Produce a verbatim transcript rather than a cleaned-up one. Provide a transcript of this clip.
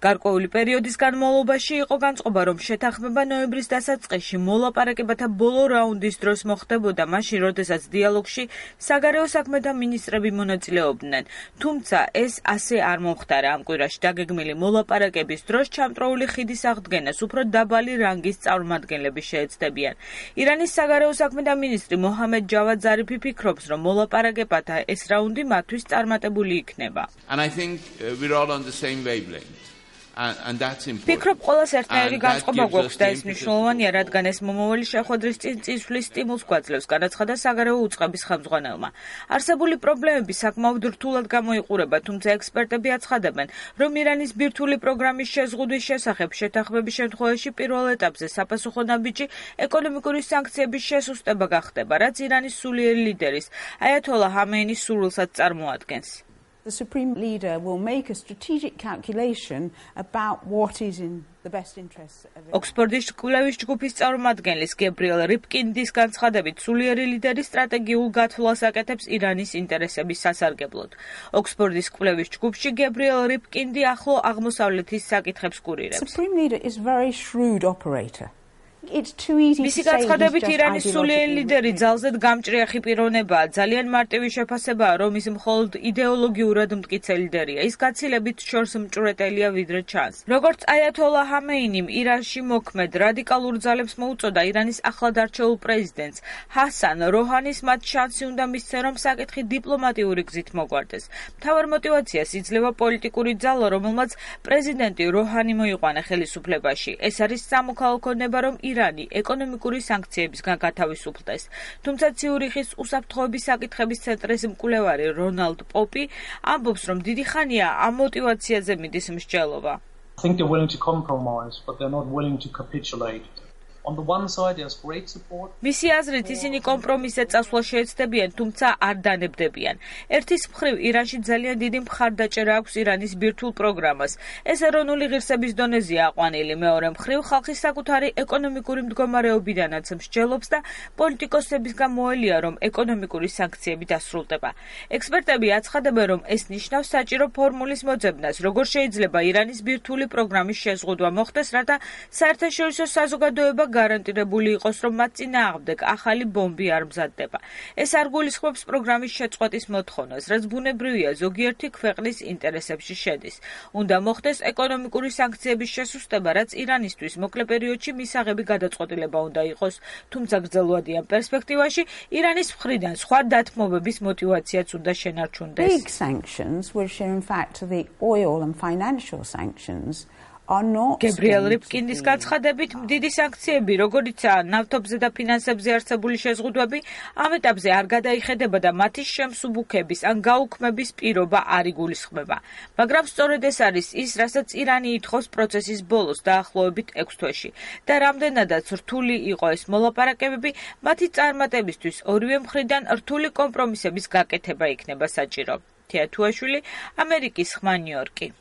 გარკვეული პერიოდის განმავლობაში იყო განწყობა, რომ შეთანხმება ნოემბრის დასაწყისში მოლაპარაკებათა ბოლო რაუნდის დროს მოხდებოდა, მაშინ, როდესაც დიალოგში საგარეო საქმეთა მინისტრები მონაწილეობდნენ. თუმცა ეს ასე არ მომხდარა. ამ კვირაში დაგეგმილი მოლაპარაკების დროს ჩამწროული ხიდის აღდგენას უფრო დაბალი რანგის წარმომადგენლები შეეცდებიან. ირანის საგარეო საქმეთა მინისტრი მოჰამედ ჯავად ზარიფი ფიქრობს, რომ მოლაპარაკებათა ეს რაუნდი მათთვის წარმატებული იქნება. ფიქრობ, ყველას ერთნაირი განწყობა გვაქვს და ეს მნიშვნელოვანია, რადგან ეს მომავალი შეხვედრის წინ წისვლის სტიმულს გვაძლევს, განაცხადა საგარეო უწყების ხელმძღვანელმა. არსებული პრობლემები საკმაოდ რთულად გამოიყურება, თუმცა ექსპერტები აცხადებენ, რომ ირანის ბირთვული პროგრამის შეზღუდვის შესახებ შეთანხმების შემთხვევაში პირველ ეტაპზე საფასუხო ნაბიჯი ეკონომიკური სანქციების შესუსტება გახდება, რაც ირანის სულიერი ლიდერის აიათოლა ჰამეინის სურვილსაც წარმოადგენს. The Supreme Leader will make a strategic calculation about what is in the best interests of Iran. ოქსფორდის კვლევის ჯგუფის წარმომადგენლის გებრიელ რიფკინდის განცხადებით, სულიერი ლიდერი სტრატეგიულ გათვლას აკეთებს ირანის ინტერესების სასარგებლოდ. ოქსფორდის კვლევის ჯგუფში გებრიელ რიფკინდი ახლო აღმოსავლეთის საკითხებს კურირებს. The Supreme Leader is a very shrewd operator. მისი განცხადებით, ირანის სულიერი ლიდერი ძალზედ გამჭრიახი პიროვნებაა, ძალიან მარტივი შეფასებაა, რომ ის მხოლოდ იდეოლოგიურად მტკიცე ლიდერია. ის გაცილებით შორს მჭვრეტელია, ვიდრე ჩანს. როგორც აიათოლა ჰამეინიმ ირანში მოქმედ რადიკალურ ძალებს მოუწოდა, ირანის ახლად არჩეულ პრეზიდენტს ჰასან როჰანის მათ შანსი უნდა მისცენ, რომ საკითხი დიპლომატიური გზით მოგვარდეს. მთავარ მოტივაციას იძლევა პოლიტიკური ძალა, რომელმაც პრეზიდენტი როჰანი მოიყვანა ხელისუფლებაში. ეს არის სამოქალაქო ნება, რომ ირანი ეკონომიკური სანქციებისგან გათავისუფლდეს. თუმცა ციურიხის უსაფრთხოების საკითხების ცენტრის მკვლევარი რონალდ პოპი ამბობს, რომ დიდი ხანია ამ მოტივაციაზე მიდის მსჯელობა. I think they're willing to compromise, but they're not willing to capitulate. On the one side there's great support. მისი აზრით, ისინი კომპრომისზე წასვლა შეეცდებიან, თუმცა არ დანებდებიან. ერთის მხრივ, ირანში ძალიან დიდი მხარდაჭერა აქვს ირანის ბირთვულ პროგრამას. ეს ეროვნული ღირსების დონეზეა აყვანილი. მეორე მხრივ, ხალხის საკუთარი ეკონომიკური მდგომარეობიდანაც მსჯელობს და პოლიტიკოსებისგან მოელია, რომ ეკონომიკური სანქციები დასრულდება. ექსპერტები აცხადებენ, რომ ეს ნიშნავს საჭირო ფორმულის მოძებნას, როგორ შეიძლება ირანის ბირთვული პროგრამის შეზღუდვა მოხდეს, რათა საერთაშორისო საზოგადოება გარანტირებული იყოს, რომ მათ წინააღმდეგ ახალი ბომბი არ მზადდება. ეს არ გულისხმობს პროგრამის შეწყვეტის მოთხოვნას, რაც ბუნებრივია ზოგიერთი ქვეყნის ინტერესებში შედის. უნდა მოხდეს ეკონომიკური სანქციების შესუსტება, რაც ირანისთვის მოკლე პერიოდში მისაღები გადაწყვეტილება უნდა იყოს, თუმცა გრძელვადიან პერსპექტივაში ირანის მხრიდან სხვა დათმობების მოტივაციაც უნდა შენარჩუნდეს. Big sanctions, which are in fact the oil and financial sanctions, გებრიელ რიფკინდის განცხადებით, დიდი სანქციები, როგორიცაა ნავთობზე და ფინანსებზე არსებული შეზღუდვები, ამ ეტაპზე არ გადაიხედება და მათი შემსუბუქების ან გაუქმების პირობა არ იგულისხმება. მაგრამ სწორედ ეს არის ის, რასაც ირანი ითხოვს პროცესის ბოლოს, დაახლოებით ექვს თვეში. და რამდენადაც რთული იყო ეს მოლაპარაკებები, მათი წარმატებისთვის ორივე მხრიდან რთული კომპრომისების გაკეთება იქნება საჭირო. თეა თუაშვილი, ამერიკის ხმა, ნიუ-იორკი.